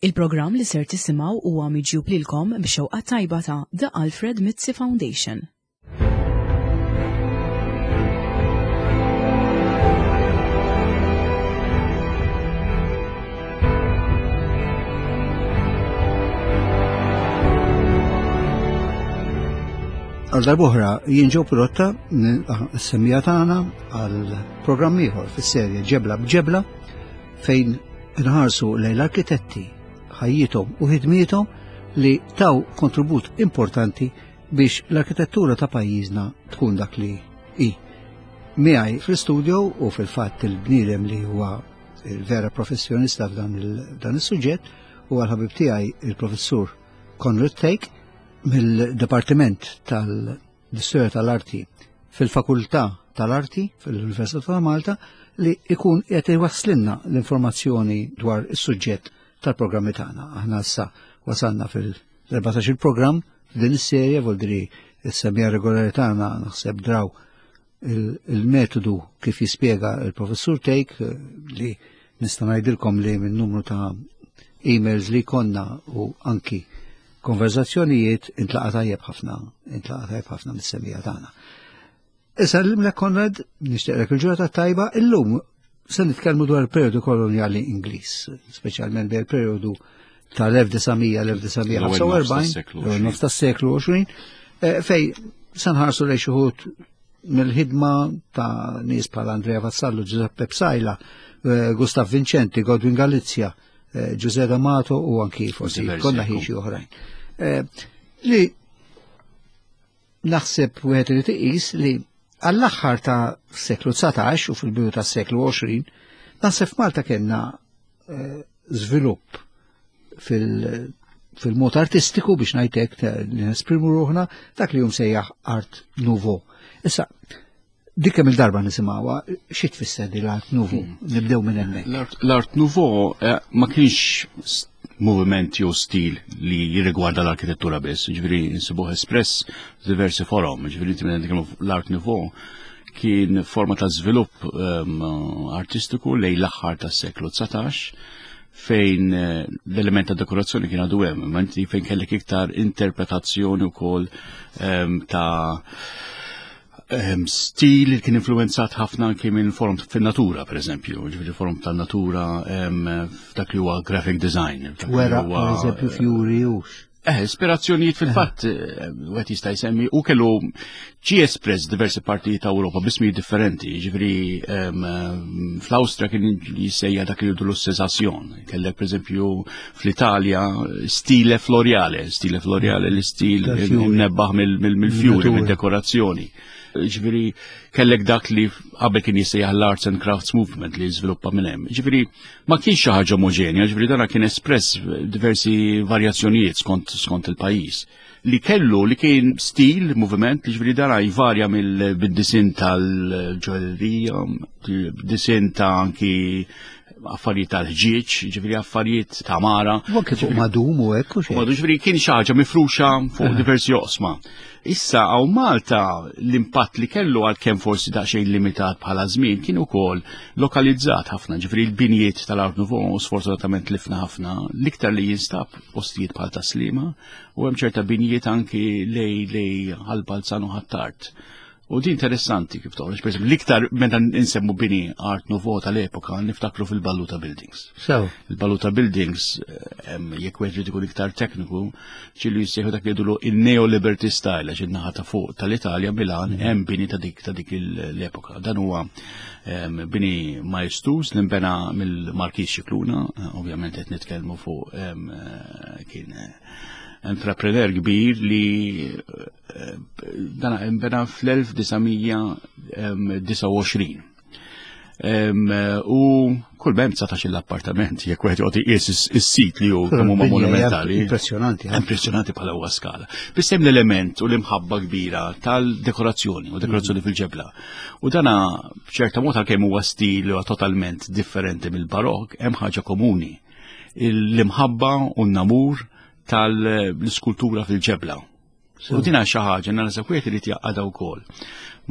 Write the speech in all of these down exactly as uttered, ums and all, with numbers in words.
Il-programm li ser tisimgħu huwa miġjub lilkom b'xewqa tajba ta' The Alfred Mizzi Foundation. Għal darb'oħra jien ġew pirotta s-semmija tagħna għal programm ieħor fis-serje Ġebla b'Ġebla fejn inħarsu lejn l-arkitetti ħajjithom u ħidmiethom li taw kontribut importanti biex l-arkitettura ta' pajjiżna tkun dak li hi. Miegħi fl-istudio u fil-fatt il-bniedem li huwa il-vera professjonista f'dan is-suġġett huwa l-ħabib tiegħi il-professur Conrad Thake mill-Dipartiment tal-Istorja tal-Arti fil-Fakultà tal-Arti fil-Università ta' Malta li ikun qed iwasslilna l-informazzjoni dwar is-suġġett tal-programmi tagħna. Aħna issa wasalna fil-erbatax il-programm f'din is-serje, vuol is-semija regolari tagħna naħseb draw il-metodu kif jispjega il-professur Thake li nista' ngħidilkom li minn numru ta' emails li konna u anki konverzazzjonijiet intlaqa tajjeb ħafna, intlaqa tajjeb ħafna mis-semija tagħna. Issa l-imlek Konrad, nixtieqlek il-ġurnata tajba, illum se nitkellmu dwar il-perjodu kolonjali Ingliż, speċjalment bejn il-perjodu tal-elf disa' mija l-elf disa' mija ħamsa u erbgħin, l-ewwel nofs tas-seklu għoxrin, fej se nħarsu lejn xi wħud mill-ħidma ta' nies bħal Andrea Vassallo, Giuseppe Psaila, Gustav Vincenti, Godwin Galizia, Giuseppe D'Amato u anki forsi konna ħin xi oħrajn. Li naħseb wieħed irid iqis li għall-aħħar ta' seklu dsatax u fil-bidu ta' seklu għoxrin, naħseb f'Malta kellna żvilupp fil-mod artistiku biex ngħidlek li nesprimu ruħna dak li jum sejjaħ Art Nouveau. Issa, dik kemm il-darba nisimgħuha, xi tfisser di l-Art Nouveau? Nibdew minn hemmhekk. L-Art Nouveau ma kienx moviment jew stil li jirrigwarda l-arkitettura biss, ġifieri nsibuh espress f'diversi forom, ġifieri inti meta nitkellmu l-Art Nouveau kien forma ta' żvilupp artistiku lejn l-aħħar tas-seklu dsatax fejn l-element ta' dekorazzjoni kien għadu hemm, imma inti fejn kellek iktar interpretazzjoni wkoll ta' stil li kien influenzat ħafna anki minn forum fin-natura, per eżempju, ġifieri forum tan-natura f'dak li huwa graphic design. Wera, per eżempju, fjuri hux. Eh, ispirazzjonijiet fil-fatt, wieħed jista' jsemmi, u kellu ġie espress diversi partijiet ta' Ewropa b'ismijiet differenti, ġifieri fl-Awstrija kien jissejja dak li jgħidu l-Sensation, kellek pereżempju fl-Italja stile floreale, stile floreale l-istil imnebbaħ mill-fjuri, mid-dekorazzjoni. Ġifieri kellek dak li qabel kien jissejjaħ l-Arts and Crafts Movement li żviluppa minn hemm. Ġifieri ma kienx xi ħaġa omogenja, ġifieri dan kien espress diversi varjazzjonijiet skont, skont il-pajjiż. Li kellu li kien stil, moviment, li ġifieri dan jvarja mill-disin tal-ġoellerija, disin ta' anki affarijiet tal-ħġieġ, ġifieri affarijiet ta' mara. U anke fuq madum u hekk u xejn. Madum, ġifieri kien xi ħaġa mifruxa fuq diversi oqsma. Issa hawn Malta l-impatt li kellu għalkemm forsi daqsxejn limitat bħala żmien kien ukoll lokalizzat ħafna, ġifieri l-binjiet tal-Art Nouveau sfortunatament tlifna ħafna, l-iktar li jinstab postijiet bħal Taslima u hemm ċerta binjiet anki lej lej Ħal Balzan u Ħ'Attard. U di interessanti kif toħroġ, per esempio, l-iktar meta nsemmu bini Art Nouveau tal-epoka niftakru fil-Balluta Buildings. So. Il-Balluta Buildings, jekk wieħed irid ikun iktar tekniku, ċillu jissejħu dak li jgħidulu il-Neo-Liberty Style, għax in-naħa ta' fuq tal-Italja, Milan, hemm bini ta' dik ta' dik l-epoka. Dan huwa bini maestuż li nbena mill-Markiż Scicluna, ovvjament qed nitkellmu fuq kien entrepreneur kbir li dan nbena fl-elf disa' mija disa' u għoxrin. U kull bem dsatax l-appartament, jekk wieħed joqgħod iqis is-sit li hu kemm huma monumentali. Impressjonanti, ħafna. Impressjonanti bħala huwa skala. Biss hemm l-element u l-imħabba kbira tal-dekorazzjoni u dekorazzjoni fil-ġebla. U dana b'ċerta mod għalkemm huwa stil huwa totalment differenti mill-barok, hemm ħaġa komuni. L-imħabba u n-namur tal-iskultura fil-ġebla. U din xi ħaġa nara se wieħed irid jaqgħadha wkoll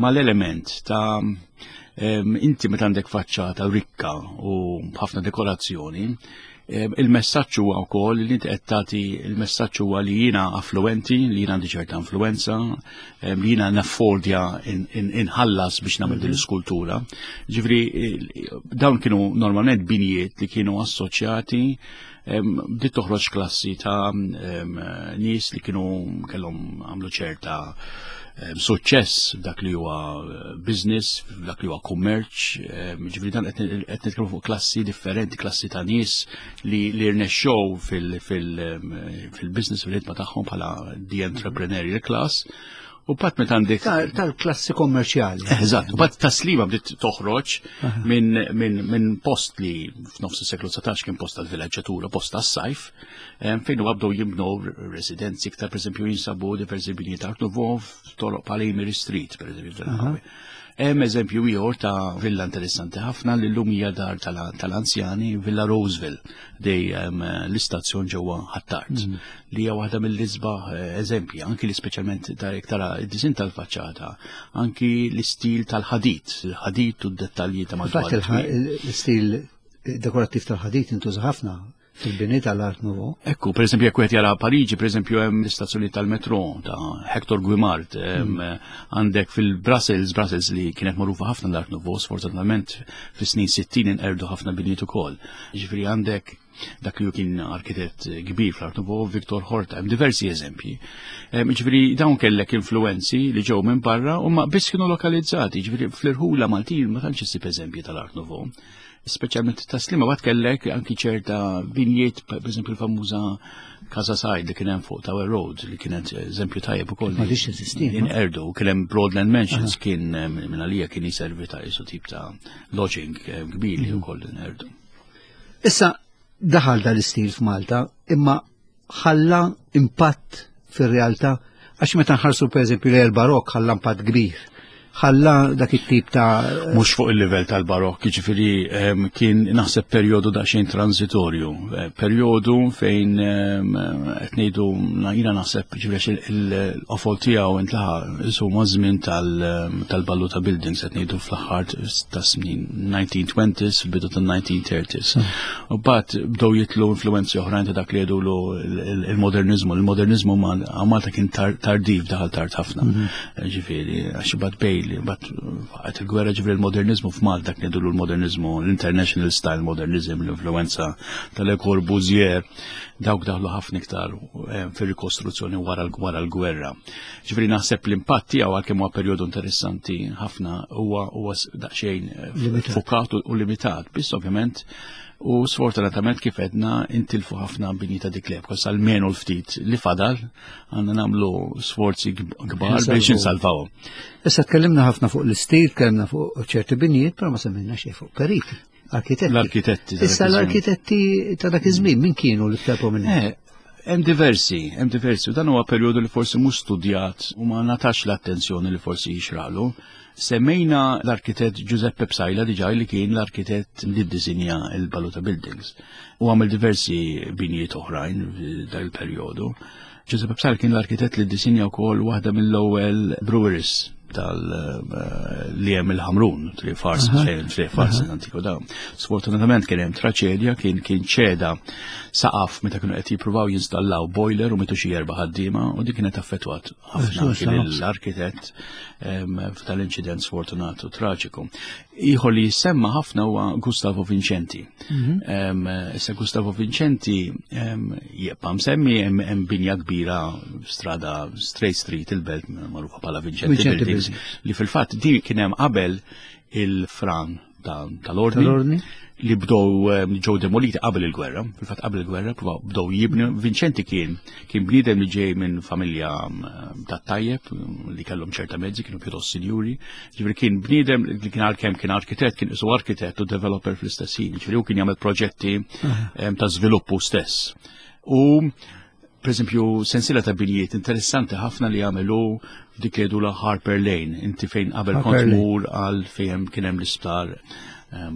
mal-element ta' inti meta għandek faċċata rikka u ħafna dekorazzjoni, Il-messaġġ huwa wkoll li inti qed tagħti, il-messaġġ huwa li jiena affluenti, li jiena għandi ċerta influenza, li jiena naffordja inħallas biex nagħmel din l-iskultura. Ġifieri dawn kienu normalment binjiet li kienu assoċjati, bdiet toħroġ klassi ta' nies li kienu kellhom għamlu ċerta suċċess f'dak li huwa business, f'dak li huwa kummerċ, ġifieri dan qed nitkellmu fuq klassi differenti, klassi ta' nies li li rnexxew fil-business, fil-ħidma tagħhom bħala the entrepreneurial class. U bat meta għandek tal-klassi kommerċjali. Eżatt, u bat Tas-Sliema bdiet toħroġ minn min, min post li f'nofs is-seklu dsatax kien post tal-villaġġatura, post tas-sajf, fejn u bdew jibnu residenzi iktar, pereżempju jinsabu diversi binjiet Art Nouveau f'toroq Palimiri Street, pereżempju. Hemm eżempju ieħor ta' villa interessanti ħafna li llum hija dar tal-anzjani, Villa Roseville, dej l-istazzjon ġewwa Ħ'Attard, li hija waħda mill-isbaħ eżempji, anki li speċjalment tara id-disin tal-faċċata, anki l-istil tal-ħadid, il-ħadid u d-dettalji ta' madwar. L-istil dekorattiv tal-ħadid intuża ħafna fil-bini tal-Art Nouveau. Ekku, per esempio, jekk wieħed jara Pariġi, per esempio, hemm l-istazzjoni tal-metro ta' Hector Guimard, għandek fil-Brussels, Brussels li kienet magħrufa ħafna l-Art Nouveau, sfortunatament fis-snin sittin inqerdu ħafna binijiet ukoll. Ġifieri għandek dak li kien arkitett kbir fl-Art Nouveau, Victor Horta, hemm diversi eżempji. Ġifieri dawn kellek influenzi li ġew minn barra u ma biss kienu lokalizzati, ġifieri fl-irħula Maltin ma tantx issib eżempji tal-Art Nouveau. Speċjalment Tas-Sliema bat kellek anki ċerta binjiet, per esempio l-famuża Casa Said li kien hemm fuq Tower Road, li kienet eżempju tajjeb ukoll. Ma dix eżisti. Inqerdu, kien hemm Broadland Mansions, kien minn għalija kien jiservi ta' isu tip ta' lodging kbir li wkoll inqerdu. Issa daħal dal-istil f'Malta, imma ħalla impatt fir-realtà, għax meta nħarsu per eżempju li l-barok ħalla impatt kbir. Ħalla dak it-tip ta' Mhux fuq il-livell tal-barokk, jiġifieri kien naħseb perjodu daqsxejn transitorju, perjodu fejn qed ngħidu jiena naħseb ġifieri il-qofol tiegħu intlaħaq isu maż-żmien tal-Balluta Buildings, qed ngħidu fl-aħħar ta' snin nineteen twenties, fil-bidu tan-nineteen thirties. U mbagħad bdew jitlu influenzi oħrajn ta' dak li jgħidulu il-modernizmu. Il-modernizmu Malta kien tardiv, daħal tard ħafna. Ġifieri għax bad bej li bat għat il-gwerra, ġifieri l-modernizmu f'Malta kien jgħidulu l-modernizmu, l-international style modernism, l-influenza tal-Le Corbusier, dawk daħlu ħafna iktar fir-rikostruzzjoni wara l-gwerra. Ġifieri naħseb l-impatt tiegħu għalkemm huwa perjodu interessanti ħafna huwa huwa daqsxejn fukat u limitat, biss ovvjament u sfortunatament kif edna intilfu ħafna bini ta' dik l-epoka, almenu l-ftit li fadal għandna nagħmlu sforzi kbar biex insalvawhom. Issa tkellimna ħafna fuq l-istil, tkellimna fuq ċerti binijiet, però ma semmejna xejn fuq periti, arkitetti. L-arkitetti ta' dak Issa iż-żmien. l-arkitetti ta' dak iż-żmien min kienu l-iktar prominenti? Eh, hemm diversi, hemm diversi, u dan huwa perjodu li forsi mhux studjat u ma natax l-attenzjoni li forsi jixralu. Semmejna l-arkitett Giuseppe Psaila diġà, li kien l-arkitett li ddisinja il-Balluta Buildings u għamel diversi binijiet oħrajn f'dak il-perjodu. Giuseppe Psaila kien l-arkitett li ddisinja wkoll waħda mill-ewwel breweries tal li hemm il-Ħamrun, Triq Farsa, fejn Triq Farsa antiku dawn. Sfortunatament kien hemm traċedja, kien kien ċeda saqaf meta kienu qed jippruvaw jinstallaw boiler u mitu xi erba' ħaddiema, u dik kienet affettwat ħafna kien l-arkitett f'tal-inċident sfortunat u traġiku. Ieħor li jissemma ħafna huwa Gustavo Vincenti. Issa Gustavo Vincenti jibqa' msemmi, hemm binja kbira strada Straight Street il-Belt magħrufa bħala Vincenti Buildings, li fil-fatt din kien hemm qabel il-fran tal-ordni li bdew ġew demoliti qabel il-gwerra. Fil-fatt qabel il-gwerra bdew jibnu. Vincenti kien kien bniedem li ġej minn familja tat-tajjeb li kellhom ċerta mezzi, kienu pjuttost sinjuri. Ġifieri kien bniedem li kien għalkemm kien arkitett, kien isu arkitett u developer fl-istess ħin. Ġifieri hu kien jagħmel proġetti ta' żviluppu stess. U per esempio sensiela ta' binjiet interessanti ħafna li għamelu dik li jgħidulha Harper Lane, inti fejn qabel kont mur għal fejn kien hemm l-isptar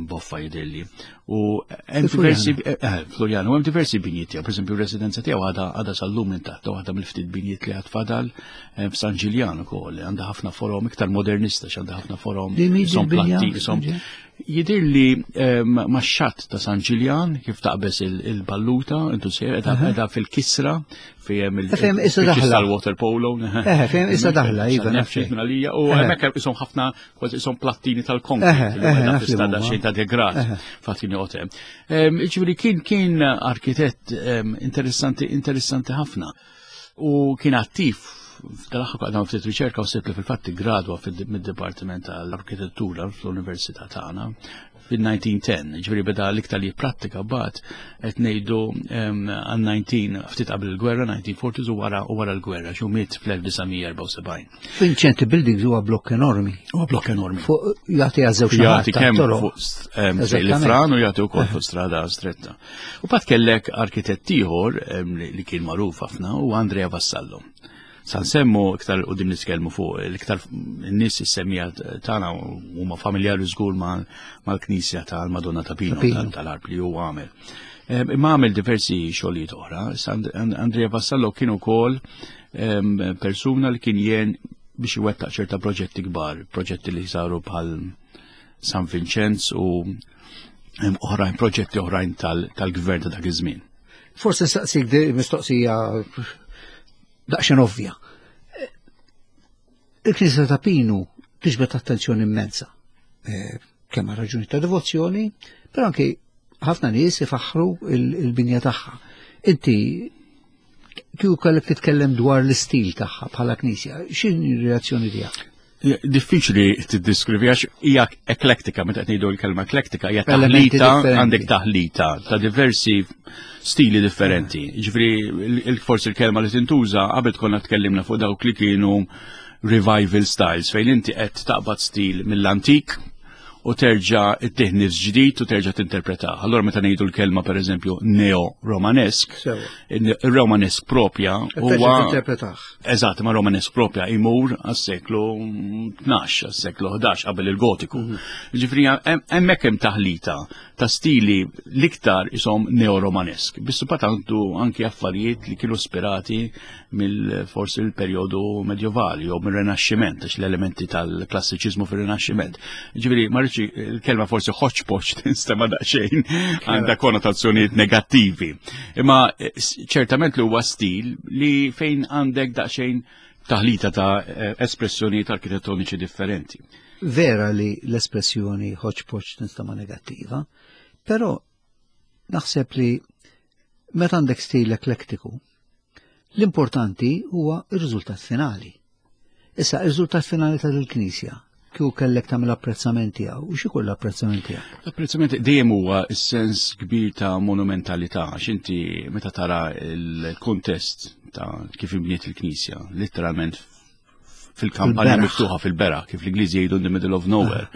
Boffa jidilli. U hemm diversi eh, Floriana, u hemm diversi binjiet tiegħu, pereżempju r-residenza tiegħu għadha għadha sal-lum intatta, waħda mill-ftit binjiet li għad fadal eh, f'San Ġiljan ukoll, għandha ħafna forom iktar modernista, x'għandha ħafna forom son platti, son Jidir li max-xatt ta' San Ġiljan kif taqbeż il-balluta, intu sejjer qiegħda fil-kisra fejn il-kisra water polo. Eh, fejn issa daħla, iva. Għalija, u hemmhekk ishom ħafna kważi ishom plattini tal-konkrit li qiegħda xejn ta' degrat fatt kien joqgħod hemm. Ġifieri kien kien arkitett interessanti interessanti ħafna u kien attiv. F'dal-aħħar għadna ftit riċerka u sibt li fil-fatt gradwa mid-Dipartiment tal-Arkitettura fl-Università tagħna fil-elf disa' mija u għaxra, ġifieri beda l-iktar li prattika bat qed ngħidu għal disgħin ftit qabel il-gwerra, nineteen forties, u wara u wara l-gwerra, xu miet fl-elf disa' mija erbgħa u sebgħin. Vincenti Buildings huwa blokk enormi. Huwa blokk enormi. Fuq jagħti għaż-żewġ Jagħti kemm fuq l-Fran u jagħti wkoll fuq strada stretta. U mbagħad kellek arkitett ieħor li kien magħruf ħafna u Andrea Vassallo. Sa nsemmu iktar u din nitkellmu fuq l-iktar n-nies is-semmija tagħna huma familjari żgur mal-Knisja tal-Madonna ta' Pino tal-Għarb li huwa għamel. Imma għamel diversi xogħlijiet oħra. Andrea Vassallo kien ukoll persuna li kien jien biex iwettaq ċerta proġetti kbar, proġetti li saru bħal San Vincenz u oħrajn, proġetti oħrajn tal-gvern ta' dak iż-żmien. Forse saqsik mistoqsija daqsxejn ovvja. Il-Knisja ta' Pinu tiġbed attenzjoni immensa. Eh, kemm raġuni ta' devozzjoni, però anke ħafna nies ifaħħru il-binja tagħha. Inti kieku kellek titkellem dwar l-istil tagħha bħala knisja, x'inhi r-reazzjoni tiegħek? Diffiċli tiddiskrivi għax hija eklektika, meta qed ngħidu l-kelma eklektika hija taħlita, għandek taħlita ta' diversi stili differenti. Ġifieri forsi l-kelma li tintuża, qabel konna tkellimna fuq dawk li kienu revival styles, fejn inti qed taqbad stil mill-antik u terġa' ittih nifs ġdid u terġa' tinterpreta. Allora meta ngħidu l-kelma, pereżempju, neo-romanesk, il-romanesk propja huwa Eżatt, ma romanesk propja imur għas-seklu tnax, għas-seklu ħdax, qabel il-Gotiku. Mhm. Ġifieri hemmhekk hemm taħlita ta' stili l-iktar isom neo-romanesk. Biss għandu anki affarijiet li kienu ispirati mill forsi l-perjodu medjovali jew mill-Renaxximent, għax l-elementi tal-klassiċiżmu fir-Renaxximent. Ġifieri ma rridx, il-kelma forsi hodgepodge tinstema' daqsxejn għandha konnotazzjonijiet negattivi. Imma eh, ċertament li huwa stil li fejn għandek daqsxejn taħlita ta' eh, espressjonijiet arkitettoniċi differenti. Vera li l-espressjoni hodgepodge tinstema' negattiva, però naħseb li meta għandek stil eklektiku, l-importanti huwa ir-riżultat finali. Issa, ir-riżultat finali ta' il-Knisja, kieku kellek tagħmel apprezzament tiegħu, u x'ikun l-apprezzament tiegħek? L-apprezzament dejjem huwa s-sens kbir ta' monumentalità, għax inti meta tara il-kontest ta' kif imbniet il-Knisja, literalment fil-kampanja miftuħa fil-beraħ, kif l-Ingliżi jgħidu in the middle of nowhere.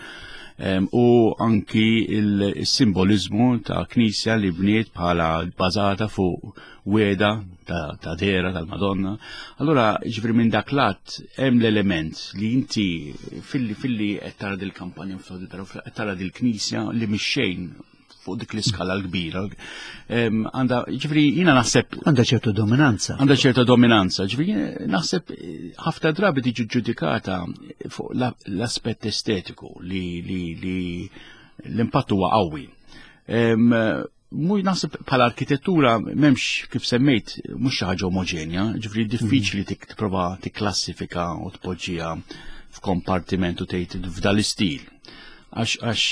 U anki il-simbolizmu ta' knisja li bniet bħala bazata fuq wegħda ta', ta dehra tal-Madonna. Allora, ġifieri minn dak lat hemm l-element li inti filli filli qed tara dil-kampanja, qed tara dil-knisja li mix-xejn fuq dik l-iskala l-kbira. Għanda, ġifieri, jina naħseb. Għanda ċertu dominanza. Għanda ċerta dominanza. Ġifieri, naħseb ħafna drabi tiġi ġudikata fuq l-aspett estetiku li, li, li l-impatt huwa qawwi. Mux naħseb bħala arkitettura m'hemmx, kif semmejt, mhux xi ħaġa omogenja, ġifieri diffiċli tipprova tikklassifika u tpoġġiha f'kompartiment u tgħid f'dal istil. Għax għax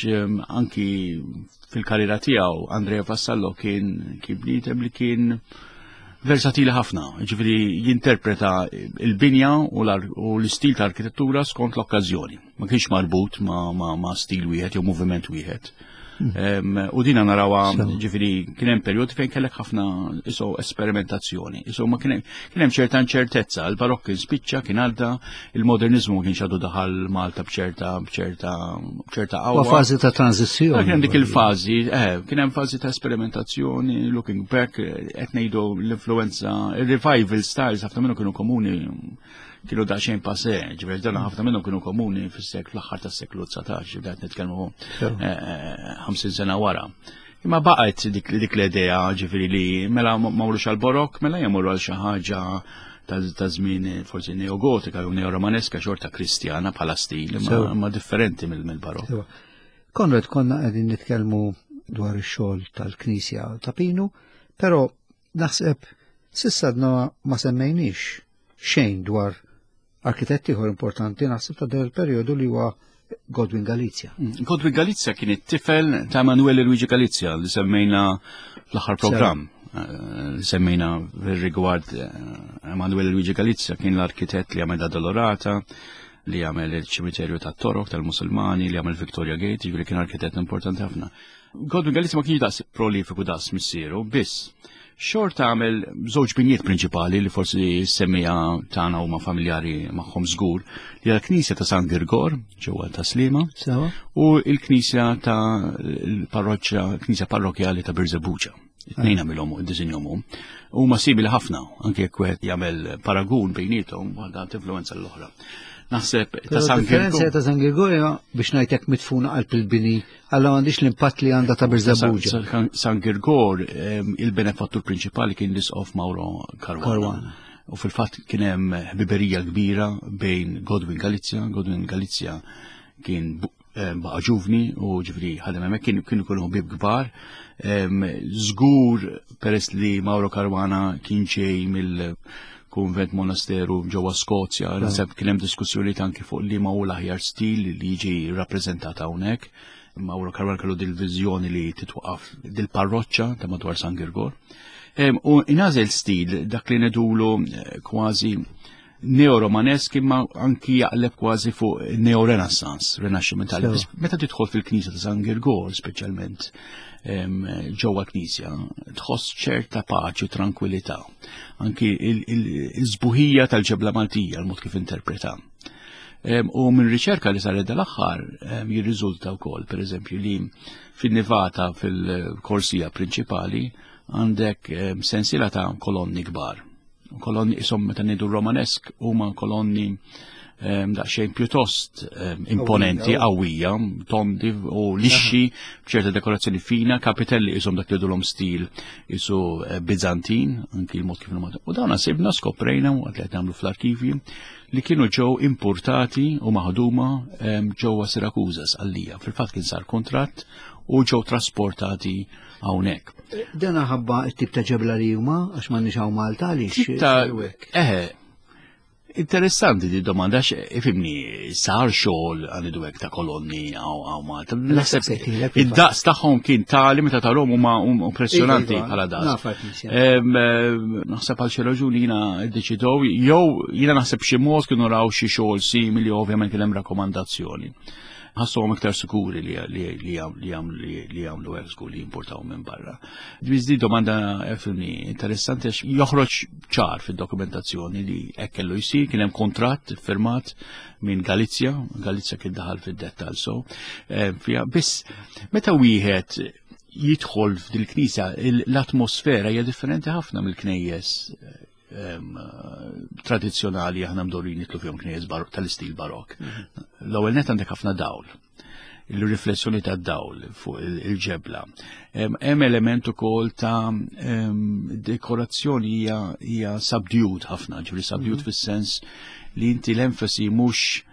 anki fil-karriera tiegħu Andrea Vassallo kien kien bniedem li kien versatili ħafna, ġifieri jinterpreta il-binja u l-istil ta' arkitettura skont l-okkażjoni. Ma kienx marbut ma', ma, ma stil wieħed jew moviment wieħed. U dina narawha, ġifieri kien hemm perjodi fejn kellek ħafna iso esperimentazzjoni. Iso ma kien hemm ċerta inċertezza, il-barokk kien spiċċa, kien għadda, il-modernizmu ma kienx għadu daħal Malta b'ċerta b'ċerta b'ċerta qawwa. Fażi ta' tranzizzjoni. Kien hemm dik il-fażi, eh, kien hemm fażi ta' esperimentazzjoni, looking back, qed ngħidu l-influenza, il-revival styles ħafna minnhom kienu komuni, kienu daqsxejn passé, ġifieri dan ħafna minnhom kienu komuni fis-seklu, fl-aħħar tas-seklu dsatax, ġifieri qed nitkellmu ħamsin eh, sena wara. Imma baqgħet dik, dik l-idea, ġifieri li mela ma morrux għal barokk, mela jmorru għal xi ħaġa ta' żmien forsi neogotika jew neoromaneska, xorta kristjana bħala stil, ma differenti mill-barokk. Konrad, konna qegħdin nitkellmu dwar ix-xogħol tal-Knisja ta' Pinu, però naħseb s'issa għadna ma semmejniex xejn dwar arkitetti ieħor importanti naħseb ta' del periodu li huwa Godwin Galizia. Mm, Godwin Galizia kien it-tifel ta' Emanuele Luigi Galizia li semmejna fl-aħħar programm. Eh, li semmejna rigward eh, Emanuele Luigi Galizia kien l-arkitett li għamel Dolorata, li għamel il-ċimiterju ta' Torok tal-Musulmani, li għamel Victoria Gate, ġifieri kien arkitett importanti ħafna. Godwin Galizia ma kienx daqs prolifiku daqs missieru, biss xorta għamel żewġ binjiet prinċipali li forsi semmija tagħna huma familjari magħhom żgur, li l-Knisja ta' San Girgor ġewwa ta' Sliema u l-Knisja ta' l-parroċċa, Knisja parrokjali ta' Birżebbuġa. Tnejn għamilhom u ddisinjahom. Huma simili ħafna, anke jekk wieħed jagħmel paragun bejniethom, waħda tinfluwenza l-oħra. Naħseb ta' San Girgor. Ta' San Girgor biex ngħidlek mitfuna qalb il-bini, alla m'għandix l-impatt li għandha ta' Birżebbuġa. San Girgor, il-benefattur prinċipali kien l-Isqof Mauro Caruana. U fil-fatt kien hemm ħbiberija kbira bejn Godwin Galizia. Godwin Galizia kien baqa' ġuvni u ġifieri ħadem hemmhekk, kienu kienu kienu ħbieb kbar. Żgur peress li Mauro Caruana kien ġej mill kunvent monasteru ġewwa Skozja, naħseb kien hemm diskussjoni anki fuq li ma hu l-aħjar stil li jiġi rappreżentat hawnhekk. Mauro Caruana kellu dil-viżjoni li titwaqaf dil-parroċċa ta' madwar San Girgor. U inażel stil dak li nedulu kważi neo-romanesk, imma anki jaqleb kważi fuq neo-renaissance, renaxximentali. Meta tidħol fil-Knisja ta' San Girgor, speċjalment ġewwa l-Knisja, tħoss ċerta paċi u tranquillità. Anki il-żbuħija tal-ġebla Maltija, l-mod kif interpreta. U minn riċerka li saret dal-aħħar jirriżulta wkoll, pereżempju, li fin-nivata fil-korsija prinċipali għandek sensiela ta' kolonni kbar. Kolonni isom meta ngħidu romanesk huma kolonni daqsxejn pjuttost imponenti, qawwija, tondi u lixxi b'ċerta dekorazzjoni fina, kapitelli isom dak li dulhom stil isu Bizantin, anki l-mod kif huma. U dawn sibna skoprejna u qed nagħmlu fl-arkivji li kienu ġew importati u maħduma ġewwa Sirakuża Sqallija. Fil-fatt kien sar kontratt u ġew trasportati hawnhekk. Dan ħabba t-tip ta' ġebla li huma għax m'għandniex hawn Malta għaliex. Eħe, interessanti di domanda, għax ifimni sar xogħol għandu hekk ta' kolonni hawn Malta. Naħseb id-daqs tagħhom kien tali meta tarhom huma impressjonanti bħala daqs. Naħseb għal xi raġuni jiena ddeċidew, jew jiena naħseb xi mod kienu raw xi xogħol simili, ovvjament kien hemm rakkomandazzjoni. Ħassuhom iktar sikuri li li jagħmlu hekk żgur li jimportaw minn barra. Di domanda ifimni interessanti għax joħroġ ċar fid-dokumentazzjoni li hekk kellu jsir, kien hemm kontratt firmat minn Galizia, Galizia kien daħal fid-dettall so. Biss meta wieħed jidħol f'dil-knisja, l-atmosfera hija differenti ħafna mill-knejjes tradizzjonali aħna mdorin nitlu fihom knejjes tal-istil barok. L-ewwel net għandek ħafna dawl, il-riflessjoni ta' dawl fuq il-ġebla. Hemm element ukoll ta' dekorazzjoni hija subdued ħafna, ġifieri subdued fis-sens li inti l-enfasi mhux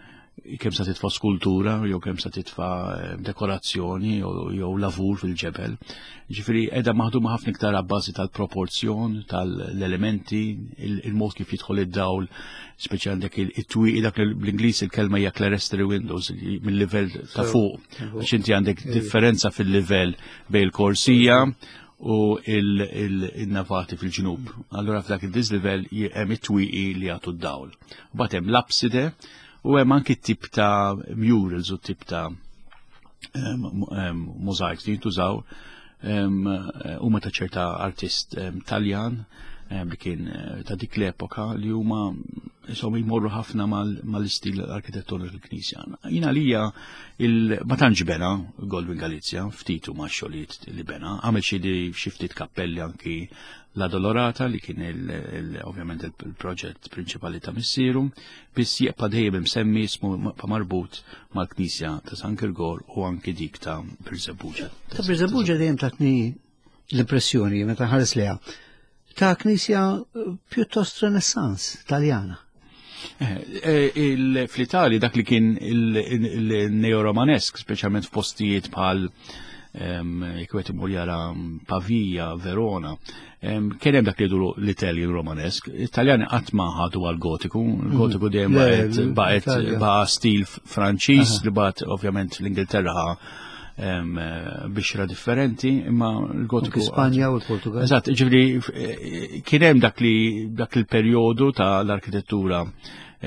kemm sa titfa' skultura jew kemm sa titfa' dekorazzjoni jew lavur fil-ġebel. Ġifieri qiegħda maħduma ħafna iktar abbażi tal-proporzjon, tal-elementi, il-mod kif jidħol id-dawl, speċi għandek it-twieqi, dak bl-Ingliż il-kelma hija clerestory windows mill-livell ta' fuq, għax inti għandek differenza fil-livell bejn il-korsija u il-navati fil-ġnub. Allura f'dak il-dislevel hemm it-twieqi li jagħtu d-dawl. U bagħad hemm l-abside u hemm anki tip ta' murals u tip ta' mosaics li jintużaw huma ta' ċerta artist Taljan li kien ta' dik l-epoka li huma insomma jmorru ħafna mal-istil arkitettoniku tal-Knisja. Jiena lija ma tantx bena Goldwyn Galizia, ftit huma x-xogħlijiet li bena, għamel xi ftit kappelli anki La Dolorata li kien ovvjament il-proġett prinċipali ta' missieru, biss jibqa' dejjem imsemmi ismu marbut mal-Knisja ta' San Girgor u anki dik ta' Birżebbuġa. Ta' Birżebbuġa dejjem tatni l-impressjoni meta ħares leha ta' knisja pjuttost Renaissance Taljana. Fl-Italja dak li kien il-neo-romanesk, speċjalment f'postijiet bħal jekk wieħed imur jara Pavia, Verona, kien hemm dak li jgħidu l-Italian Romanesk. Italjani qatt ma ħadu għal gotiku, il-gotiku dejjem baqgħet baqa' stil Franċiż li bagħad ovvjament l-Ingilterra bixra differenti, imma l-gotiku. Spanja u l-Portugal. Eżatt, ġifieri kien hemm dak li dak il-perjodu ta' l-arkitettura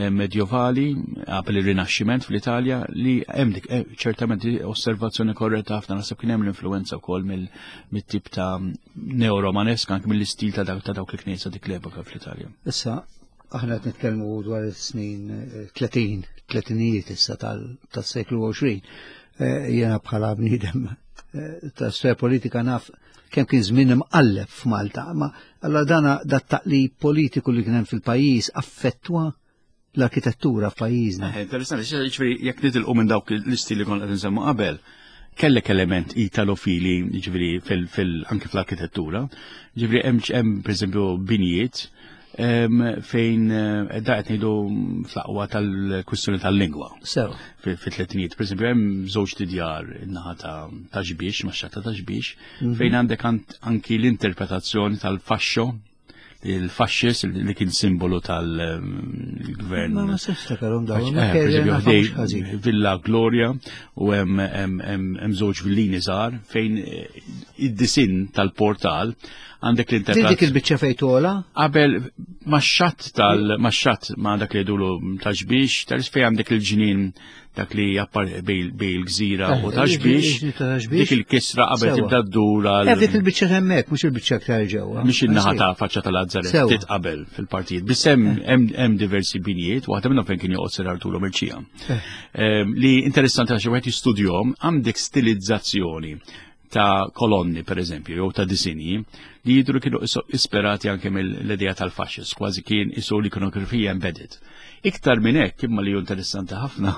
medjovali qabel ir-Rinaxximent fl-Italja li hemm dik ċertament osservazzjoni korretta ħafna, naħseb kien hemm l-influenza wkoll mit-tip ta' neo-romanesk anke mill-istil ta' dawk il-knisja dik l-epoka fl-Italja. Issa aħna qed nitkellmu dwar is-snin tletin, tletinijiet issa tas-seklu għoxrin. Jiena bħala bniedem ta' sfera politika naf kemm kien żmien imqalleb f'Malta, ma allora dana dat taqlib politiku li kien hemm fil-pajjiż affettwa l-arkitettura f'pajjiżna. Interessanti, ġifieri jekk nitilqu minn dawk l-istili li konna qed nsemmu qabel, kellek element italofili, ġifieri anke fl-arkitettura, ġifieri hemm pereżempju binjiet fejn da qed ngħidu fl-aqwa tal-kwistjoni tal-lingwa. Sew. Fit-tletinijiet, pereżempju hemm żewġ tidjar in-naħa ta' Xbiex, max-xatta ta' Xbiex, fejn għandek anki l-interpretazzjoni tal-fascio, il-fasċis li kien simbolu tal-gvern. Ma ma niftakarhom dawn. Villa Gloria u hemm żewġ villini żgħar fejn id-disinn tal-portal għandek l-interpretazzjoni. Dik il-biċċa fejn tola? Qabel max-xatt tal max-xatt ma dak li jgħidulu ta' Xbiex, tal fejn għandek il-ġnien dak li jappar bej il-gżira u ta' Xbiex, dik il-kisra qabel tibda ddur għal. Dik il-biċċa hemmhekk, mhux il-biċċa aktar ġewwa. Mhix in-naħa ta' faċċa tal-Azzaret, ftit qabel fil-partijiet. Biss hemm hemm diversi binjiet, waħda minnhom fejn kien joqgħod Sir Arturo Mercia. Li interessanti għax wieħed jistudjahom, għandek stilizzazzjoni ta' kolonni, per eżempju, jew ta' disinji, li jidru kienu isperati anke mill-idea tal-fascist, kważi kien isu l-ikonografija embedded. Iktar minn hekk, imma li hu interessanti ħafna,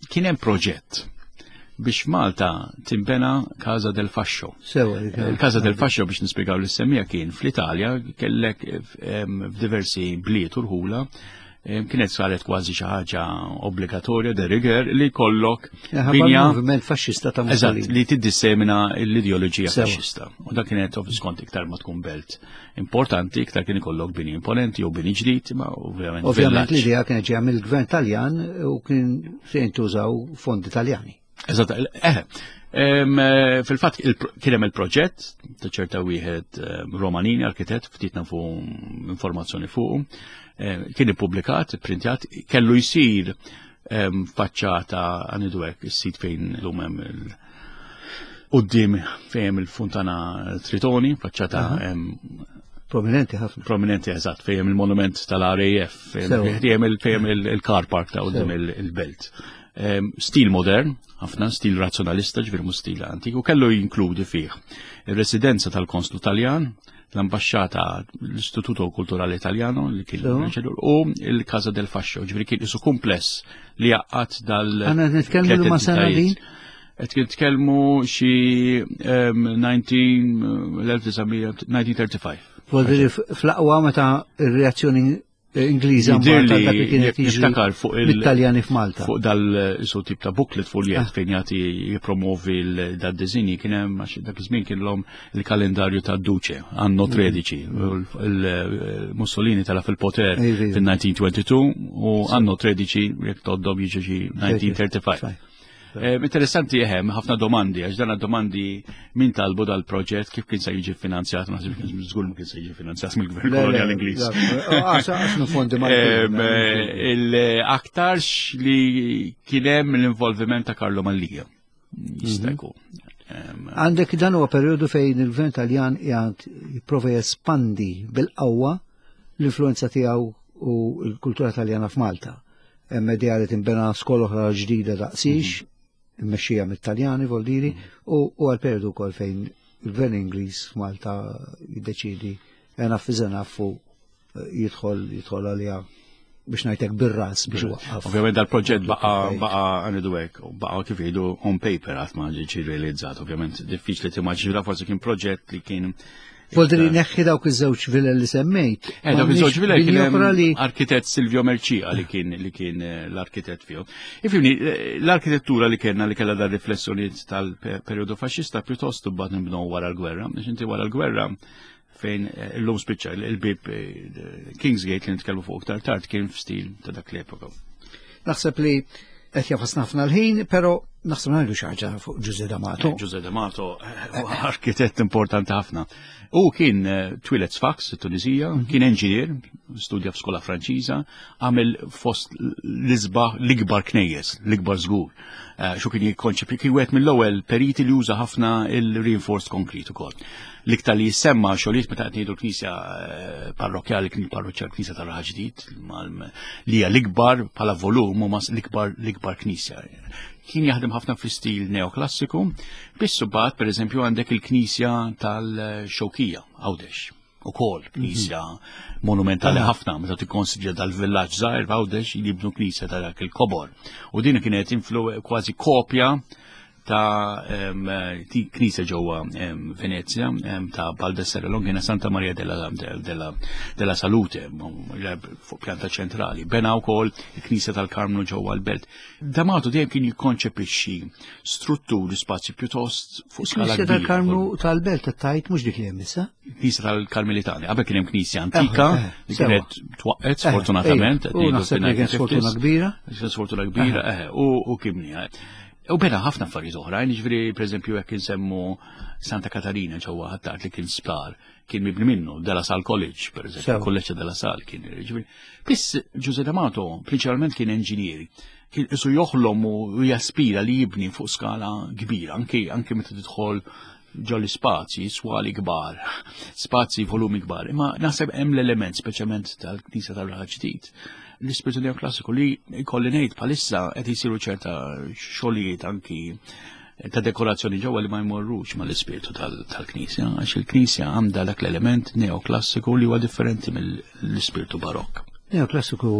kien hemm proġett biex Malta timbena Casa del Fascio. Il-Casa del Fascio, biex nispjegaw lis-semmija, kien fl-Italja kellek f'diversi bliet u rħula, kienet saret kważi xi ħaġa obbligatorja de rigueur li kollok binja moviment faxxista ta' Mussolini. Eżatt, li tiddissemina l-ideoloġija faxxista. U dak kienet skont iktar ma tkun belt importanti, iktar kien ikollok bini imponenti jew bini ġdid, ma ovvjament. Ovvjament l-idea kienet ġejja mill-gvern Taljan u kien se jintużaw fondi Taljani. Eżatt, eh, fil-fatt kien hemm il-proġett ta' ċerta wieħed Romanini, arkitett, ftit nafu informazzjoni fuqu, kien ippubblikat, ipprintjat, kellu jsir faċċata għanidu hekk is-sit fejn lum hemm il quddiem fejn hemm il-Funtana Tritoni, faċċata prominenti ħafna. Prominenti, eżatt, fejn hemm il-monument tal-R A F, fejn hemm il-car park ta' quddiem il-belt. Stil modern, ħafna stil razzjonalista, ġifieri mhux stil antik, u kellu jinkludi fih ir-residenza tal-Konslu Taljan, l-ambasċata, l-Istituto Kulturale Italiano li kien u il-Casa del Fascio, ġifieri kien isu kumpless li jaqgħad dal. Għandna nitkellmu ma' sena din? Qed nitkellmu xi nineteen thirty-five. Vuol fl-aqwa meta r-reazzjoni Ingliża Malta dak li kienet jiġri fuq l-Italjani f'Malta. Fuq dal isu tip ta' booklet foljet fejn jagħti jippromovi dad-disinji kien hemm għax dak iż-żmien kien l-om il-kalendarju ta' Duce anno tredici. Il-Mussolini tela fil-poter fil-nineteen twenty-two u anno tredici jekk toddom jiġi xi nineteen thirty-five. Interessanti ehem, ħafna domandi, għax dan domandi min talbu dal-proġett, kif kien se jiġi finanzjat, ma naħsibx kien żgur ma kien se jiġi finanzjat mill-Gvern Kolonjali Ingliż. Il-aktarx li kien hemm l-involviment ta' Carlo Mallia. Jista' jkun. Għandek dan huwa perjodu fejn il-gvern Taljan qiegħed jipprova jespandi bil-qawwa l-influenza tiegħu u l-kultura Taljana f'Malta. Hemm idea li tinbena skola oħra ġdida daqsix, mhm. immexxija mit-Taljani voldiri, mhm. u għal perjodu wkoll fejn il-gvern Ingliż f'Malta jiddeċidi enough is enough u jidħol jidħol għaliha biex ngħidlek bir-ras biex iwaqqaf. Ovvjament dal-proġett baqa baqa għanidu hekk, baqa kif jgħidu on paper qatt ma ġie realizzat, ovvjament diffiċli timmaġina, forsi kien proġett li kien Voldri neħħi dawk iż-żewġ vilel li semmejt. Eh, dawk iż-żewġ vilel kien hemm arkitett Silvio Mercia li kien li kien eh, l-arkitett fihom. Ifhimni, eh, l-arkitettura li kellna li kellha dar riflessjonijiet tal-perjodu faxxista pjuttost imbagħad nibnew wara l-gwerra, biex inti wara l-gwerra fejn eh, illum spiċċa il-bib eh, Kingsgate li nitkellmu fuq iktar tard kien f'stil ta' dak l-epoka. Naħseb li qed jafas ħafna l-ħin, però naħseb ngħidu xi ħaġa fuq Ġuże D'Amato. Eh, Ġuże D'Amato arkitett importanti ħafna. U kien twieled Sfax, Tunisija, mhm. kien enġinier, studja f'skola Franċiża, għamel fost l-isbaħ l-ikbar knejjes, l-ikbar żgur. Xu kien jikkonċepi kien wieħed mill-ewwel periti li uża ħafna il-reinforced concrete ukoll. L-iktar li jissemma xogħlijiet meta qed ngħidu l-knisja eh, parrokkjali kien parroċċa l-knisja tar-Raħal Ġdid li hija l-ikbar bħala volum u l-ikbar l-ikbar knisja. Kien jaħdem ħafna fl-istil neoklassiku, biss imbagħad pereżempju għandek il-knisja tal-Xewkija Għawdex. Ukoll knisja mhm. monumentali ah. ħafna meta tikkonsidra dal-villaġġ żgħir f'Għawdex jibnu knisja ta' dak il-kobor. U din kienet influ kważi kopja ta' knisja ġewwa Venezia ta' Baldassare Longina Santa Maria della, della, della Salute fuq pjanta ċentrali. Bena wkoll il-knisja tal-Karmnu ġewwa l-Belt. D'Amato dejjem kien jikkonċepixxi strutturi spazji pjuttost fuq skala. Knisja tal-Karmnu tal-Belt tajt mhux dik li hemm issa? Knisja tal-Karmelitani. Qabel kien hemm knisja antika eh, eh, li kienet twaqqet eh, sfortunatament. U naħseb li kien sfortuna kbira. Sfortuna kbira, u kibni. U bena ħafna affarijiet oħrajn, jiġifieri pereżempju jekk insemmu Santa Katarina ġewwa Ħ'Attard li kien sptar, kien mibni minnu De La Salle College, pereżempju, Kolleġġ De La Salle kien. Jiġifieri, biss Ġuże D'Amato prinċipalment kien enġinier, kien isu joħlom u jaspira li jibni fuq skala kbira, anki anki meta tidħol ġol spazji, swali kbar, spazji volumi kbar. Imma naħseb hemm l-element speċjalment tal-Knisja tal-Raħal Ġdid, l-ispirtu neoklassiku li jkolli ngħid bħalissa qed isiru ċerta xogħlijiet anki ta' dekorazzjoni ġewwa li ma jmorrux mal-ispirtu tal-Knisja, għax il-Knisja għandha dak l-element neoklassiku li huwa differenti mill-ispirtu barokk. Neoklassiku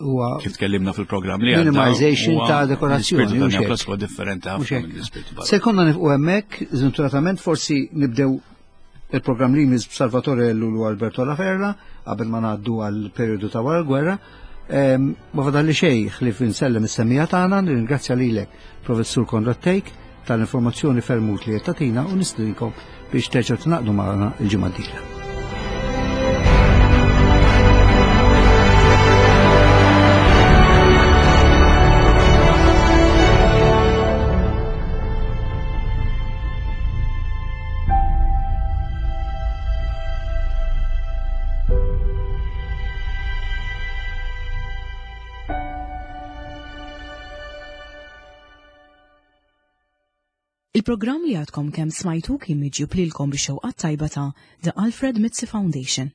huwa kif tkellimna fil-programm li minimization ta' dekorazzjoni. L-ispirtu neoklassiku differenti ħafna mill-ispirtu barokk. Se konna nifqu hemmhekk, żventuratament forsi nibdew il-programm li jmiss b'Salvatore Ellul u Alberto La Ferla qabel ma ngħaddu għal perjodu ta' wara l-gwerra. Ma fadalli xejn ħlief insellem is-semmiegħa tagħna, nirringrazzja lilek Professur Konrad Thake tal-informazzjoni ferm utli qed tagħtina u nistedinkom biex terġgħu tingħaqdu magħna l-ġimgħa d-dieħla. Il-programm li għadkom kemm smajtu kien miġjub lilkom bix-xewqa tajba ta' The Alfred Mizzi Foundation.